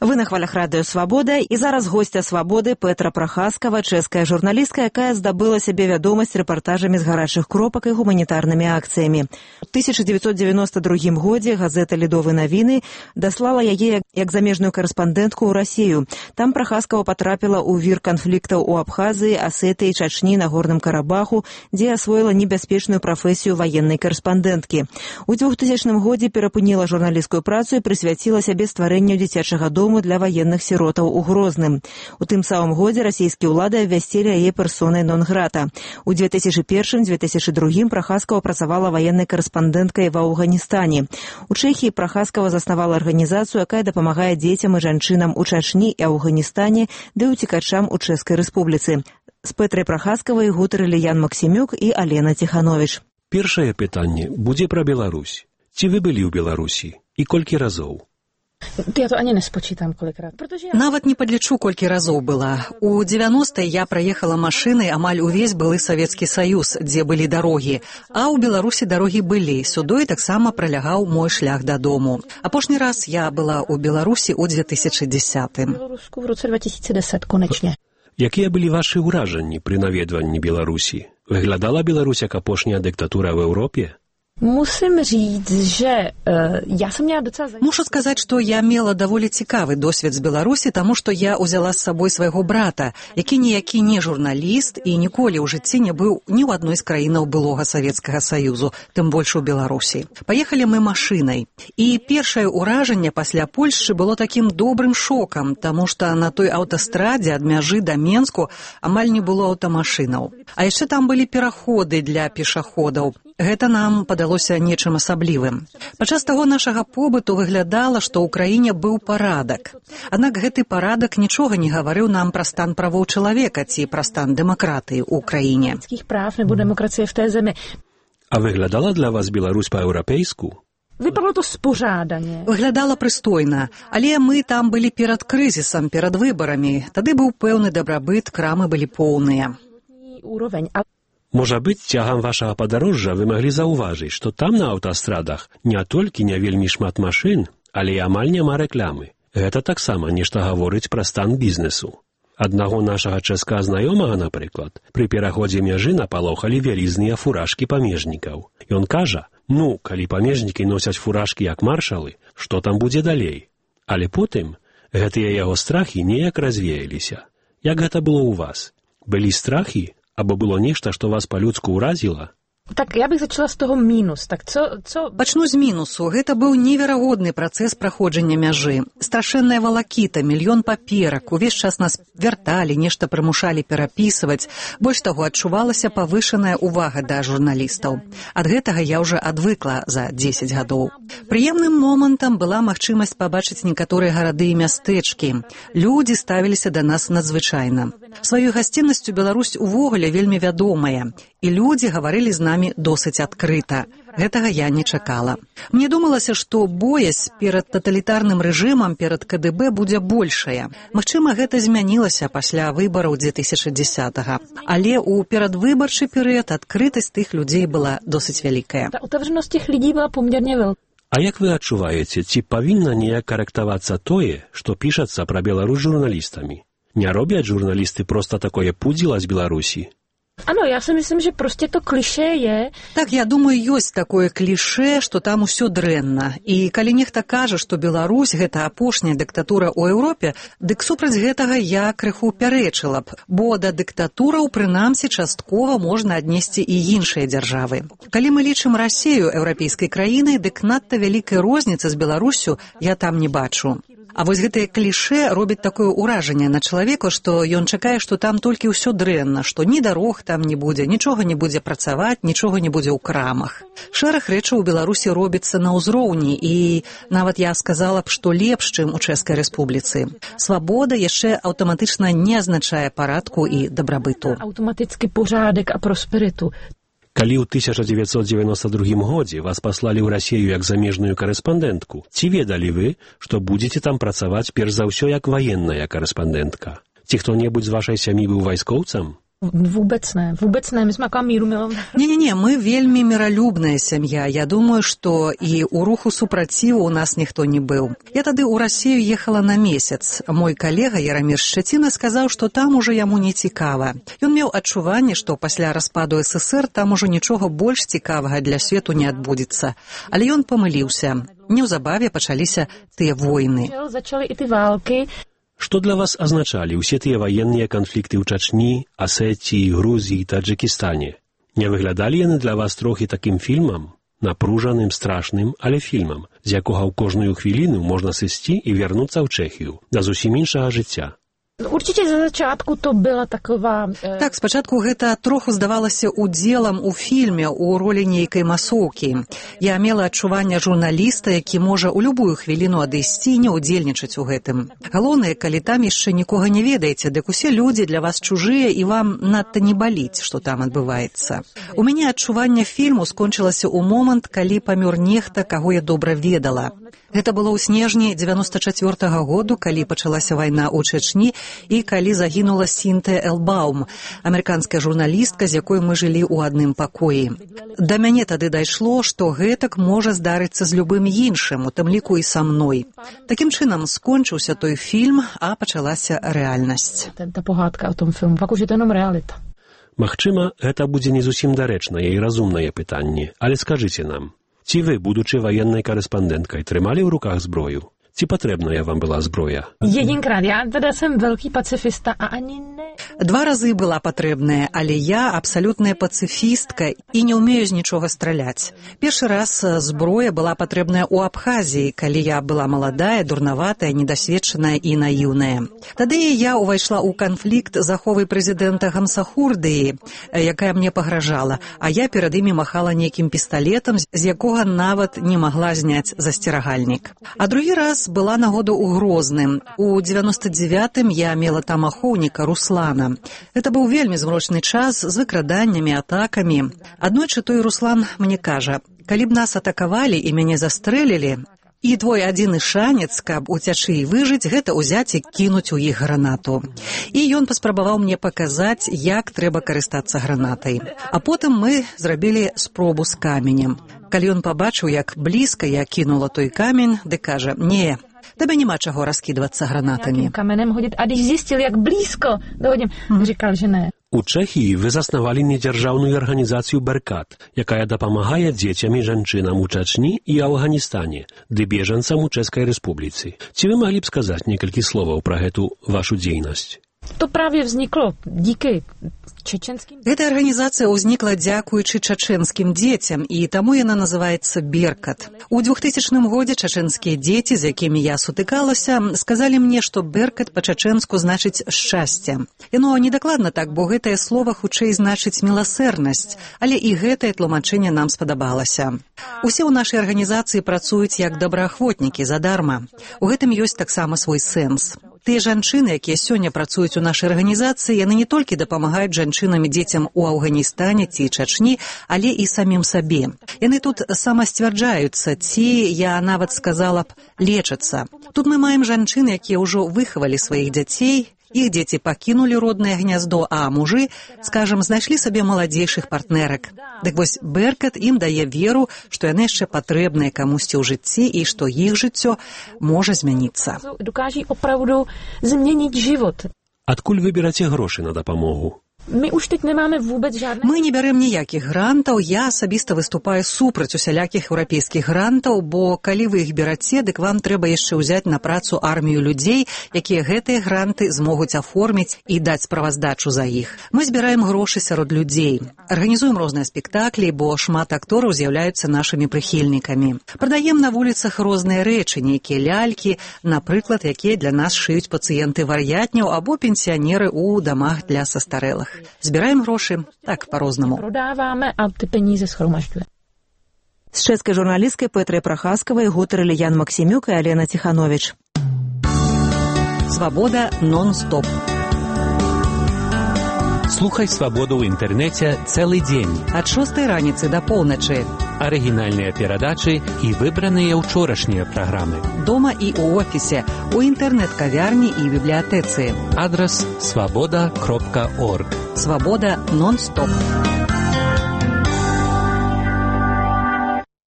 Вы на хвалях радыё «Свабода» і зараз госця «Свабоды» Петра Прахаскава, чэшская журналістка, якая здабыла сябе вядомасць рэпартажамі з гарачых кропак і гуманітарнымі акцыямі. У 1992 годзе газета «Ледовы навіны» даслала яе як замежную карэспандэнтку ў Расію. Там Прахаскава патрапіла ў вір канфліктаў у Абхазіі, Асетыі, Чачні, Нагорным Карабаху, дзе асвоіла небяспечную прафесію ваеннай карэспандэнткі. У 2000 годзе перапыніла журналісцкую працу і прысвяціла сябе стварэнню дзіцячага дому для военных сиротаў у Грозным. У тым самым годзе расійскія ўлады абвясцілі яе персонай нон-грата. У 2001-2002 Прахаскава працавала военнай карэспандэнткай ва Афганістане. У Чэхіі Прахаскава заснавала арганізацыю, якая дапамагае дзецям і жанчынам у Чачні і Афганістане, ды уцекачам у Чэшскай рэспубліцы. З Петрай Прахаскавай гутарылі Ян Максімюк і Алена Ціханович. Першае пытанне будзе пра Беларусь. Ці вы былі ў Беларусі і колькі разоў? Я то ані не спочитам колікрат. Нават не падлічу, колькі разоў была. У 90-е я праехала машынай амаль увесь былы Савецкі Саюз, дзе былі дарогі. А ў Беларусі дарогі былі. Сюдой таксама пралягаў мой шлях дадому. Апошні раз я была ў Беларусі ў 2010-м. Беларуску в році 2010, конечне. Якія былі вашы ўражанні пры наведванні Беларусі? Выглядала Беларусь як апошняя дыктатура в Европе? Musím říct, že ja som měla docela... Мушу сказаць, што я мела даволі цікавы досвед з Беларусі, таму што я ўзяла з сабой свайго брата, які ніякі не журналіст і ніколі ў жыцці не быў ні ў адной з краінаў былога Савецкага Саюзу, тым больш у Беларусі. Паехалі мы машынай. І першае ўражанне пасля Польшчы было такім добрым шокам, таму што на той аўтастрадзе ад мяжы да Менску амаль не было аўтамашынаў. А яшчэ там былі пераходы для пешаходаў. Гэта нам падалося нечым асаблівым. Падчас таго нашага побыту выглядала, што ў краіне быў парадак. Аднак гэты парадак нічога не гаварыў нам пра стан правоў чалавека ці пра стан дэмакратыі ў краіне. Прав небо дэмакрацыя в tej зemi. А выглядала для вас Беларусь па-еўрапейску? Vypadalo to spořádaně. Выглядала прыстойна, але мы там былі перад крызісам, перад выбарамі. Тады быў пэўны дабрабыт, крамы былі поўныя. Úroveň. Можа быць, цягам вашага падарожжа вы маглі заўважыць, што там на аўтастрадах не толькі не вельмі шмат машын, але і амаль няма рэкламы. Гэта таксама нешта гаворыць пра стан бізнесу. Аднаго нашага чэшскага знаёмага, напрыклад, пры пераходзе мяжы напалохалі вялізныя фуражкі памежнікаў. Ён кажа, калі памежнікі носяць фуражкі як маршалы, што там будзе далей? Але потым гэтыя яго страхі неяк развеяліся. Як гэта было ў вас? Былі страхі? Або было нешта, што вас па-людску ўразіла? Так, я bych začala z toho mínus. Tak co... Пачну з мінусу. Гэта быў неверагодны працэс праходжання мяжы. Страшэнная валакіта, мільён паперак. Увесь час нас вярталі, нешта прымушалі перапісваць. Больш таго, адчувалася павышаная ўвага да журналістаў. Ад гэтага я ўжо адвыкла за 10 гадоў. Прыемным момантам была магчымасць пабачыць некаторыя гарады і мястэчкі. Людзі ставіліся да нас надзвычайна. Сваёй гасціннасцю Беларусь увогуле вельмі вядомая. І людзі гаварылі з намі досыць адкрыта. Гэтага я не чакала. Мне думалася, што боязь перад таталітарным рэжымам, перад КДБ будзе большая. Магчыма, гэта змянілася пасля выбараў 2010-го. Але ў перадвыбарчы перыяд адкрытасць тых людзей была досыць вялікая. Отверженасць тых людзей была померне вялікая. А як вы адчуваеце, ці павінна неяк карэктавацца тое, што пішацца пра Беларусь журналістамі? Не робяць журналісты проста такое пудзіла з Беларусі? Ano, já si myslím, že prostě to kliše je... Так, я думаю, ёсць такое кліше, што там усё дрэнна. І калі нехта кажа, што Беларусь — гэта апошняя дыктатура ў Еўропе, дык супраць гэтага я крыху пярэчыла б, бо да дыктатураў, прынамсі, часткова можна аднесці і іншыя дзяржавы. Калі мы лічым Расію еўрапейскай краінай, дык надта вялікай розніцы з Беларуссю я там не бачу. А вось гэтае кліше робіць такое ўражанне на чалавека, што ён чакае, што там толькі ўсё дрэнна, што ні дарог там не будзе, нічога не будзе працаваць, нічога не будзе ў крамах. Шэраг рэчаў у Беларусі робіцца на ўзроўні, і нават я сказала б, што лепш, чым у Чэшскай Рэспубліцы. Свабода яшчэ аўтаматычна не азначае парадку і дабрабыту. Аўтаматычны порядак а просперыту. Калі ў 1992 годзе вас паслалі ў Расію як замежную карэспандэнтку, ці ведалі вы, што будзеце там працаваць перш за ўсё як ваенная карэспандэнтка? Ці хто-небудзь з вашай сям'і быў вайскоўцам? Vůbec ne. My jsme taková míru milovná. Не-не-не, мы вельмі міралюбная сям'я. Я думаю, што і ў руху супраціву у нас ніхто не быў. Я тады ў Расію ехала на месяц. Мой калега Ярамір Шчаціна сказаў, што там ужо яму не цікава. Ён меў адчуванне, што пасля распаду ССР там ужо нічога больш цікавага для свету не адбудзецца. Але ён памыліўся. Неўзабаве пачаліся тыя войны. Začaly i ty války. Что для вас означали все те военные конфликты в Чечне, Осетии, Грузии, Таджикистане? Не выглядали яны для вас трохи таким фільмом? Напружаним, страшним, але фільмом, з якого в кожну хвилину можна сісти і вернуться в Чехію, до зовсім іншого життя. Určite za začiatku to byla taková... Так, спачатку гэта троху здавалася удзелам у фільме ў ролі нейкай масоўкі. Я мела адчуванне журналіста, які можа ў любую хвіліну адысці і не ўдзельнічаць у гэтым. Галоўнае, калі там яшчэ нікога не ведаеце, дык усе людзі для вас чужыя і вам надта не баліць, што там адбываецца. У мяне адчуванне фільму скончылася ў момант, калі памёр нехта, каго я добра ведала. Гэта было ў снежні 94-го году, калі пачалася вайна ў Чечні і калі загінула Сінтыя Элбаум, амерыканская журналістка, з якой мы жылі ў адным пакоі. Да мяне тады дайшло, што гэтак можа здарыцца з любым іншым, у тым ліку і са мной. Такім чынам скончыўся той фільм, а пачалася рэальнасць. Та погадка ў том фільму, пак ужо jenom realita. Магчыма, гэта будзе не зусім дарэчнае і разумнае пытанне, але скажыце нам, ці вы, будучы ваеннай карэспандэнткай, трымалі ў руках зброю? Ці патрэбная вам была зброя? Jedinkrát. Ja teda som veľký pacifista a ani ne... 2 разы была патрэбная, але я абсалютная пацыфістка і не ўмею з нічога страляць. Першы раз зброя была патрэбная ў Абхазіі, калі я была маладая, дурнаватая, недасведчаная і наіўная. Тады я ўвайшла ў канфлікт з аховай прэзідэнта Гамсахурдыі, якая мне пагражала, а я перад імі махала нейкім пісталетам, з якога нават не магла зняць засцерагальнік. А другі раз была нагода ў Грозным. У 99-м я мела там ахоўніка Руслана. Это быў вельмі змрочны час з выкраданнямі, атакамі. Аднойчы той Руслан мне кажа, калі б нас атакавалі і мяне застрэлілі, і твой адзіны шанец, каб уцячы і выжыць, гэта ўзяць і кінуць у іх гранату. І ён паспрабаваў мне паказаць, як трэба карыстацца гранатай. А потым мы зрабілі спробу з каменем. Калі ён пабачыў, як блізка я кінула той камень, ды кажа, не, тебе нема чаго раскидвацца гранатамі. Каменем ходить, а když зістил, як близько доходим, říkal, že ne. У Чэхіі вы заснавалі недзяржаўную арганізацыю «Беркат», якая дапамагае дзецям і жанчынам у Чачні і Афганістане, ды бежанцам у Чэшскай Рэспубліцы. Ці вы маглі б сказаць некалькі словаў пра гэту вашу дзейнасць? To právě vzniklo díky čečenským... Эта арганізацыя ўзнікла дзякуючы чачэнскім дзецям, і таму яна называецца «Беркат». У 2000 годзе чачэнскія дзеці, з якімі я сутыкалася, сказалі мне, што «Беркат» па-чачэнску значыць «шчасце». Яно недакладна так, бо гэтае слова хутчэй значыць «міласэрнасць», але і гэтае тлумачэнне нам спадабалася. Усе ў нашай арганізацыі працуюць як добраахвотнікі задарма. У гэтым ёсць таксама свой сэнс. Тыя жанчыны, якія сёння працуюць у нашай арганізацыі, яны не толькі дапамагаюць жанчынам і дзецям у Афганістане ці Чачні, але і самім сабе. Яны тут самасцвярджаюцца, ці, я нават сказала б, лечацца. Тут мы маем жанчын, якія ўжо выхавалі сваіх дзяцей, іх дзеці пакінулі роднае гняздо, а мужы, скажам, знайшлі сабе маладзейшых партнерак. Дык вось Беркат ім дае веру, што яны яшчэ патрэбныя камусьці ў жыцці і што іх жыццё можа змяніцца. Докажі оправду змяніць жывот. Адкуль вы бераце грошы на дапамогу? My už teď nemáme vůbec žádné... Мы не бярем ніякіх грантаў, я асабіста выступаю супраць усялякіх еўрапейскіх грантаў, бо калі вы іх бераце, дык вам трэба яшчэ ўзяць на працу армію людзей, якія гэтыя гранты змогуць аформіць і даць справаздачу за іх. Мы збіраем грошы сярод людзей. Арганізуем розныя спектаклі, бо шмат актораў з'яўляюцца нашымі прыхільнікамі. Прадаем на вуліцах розныя рэчы, нейкія лялькі, напрыклад, якія для нас шыюць пацыенты вар'ятняў або пенсіянеры ў дамах для састарэлых. Збіраем грошы так па-рознаму. Проdáváme a ty peníze schromažďuje. З чэшскай журналісткай Пэтрай Прахаскавай гутарылі Ян Максімюк і Алена Ціхановіч. Свабода нон-стоп. Слухай «Свабоду» ў інтэрнэце цэлы дзень. Ад 6 раніцы да поўначы. Арыгінальныя перадачы і выбраныя ўчорашнія праграмы. Дома і ў офісе, у інтэрнэт-кавярні і бібліятэцы. Адрас свабода.орг. Свабода нон-стоп.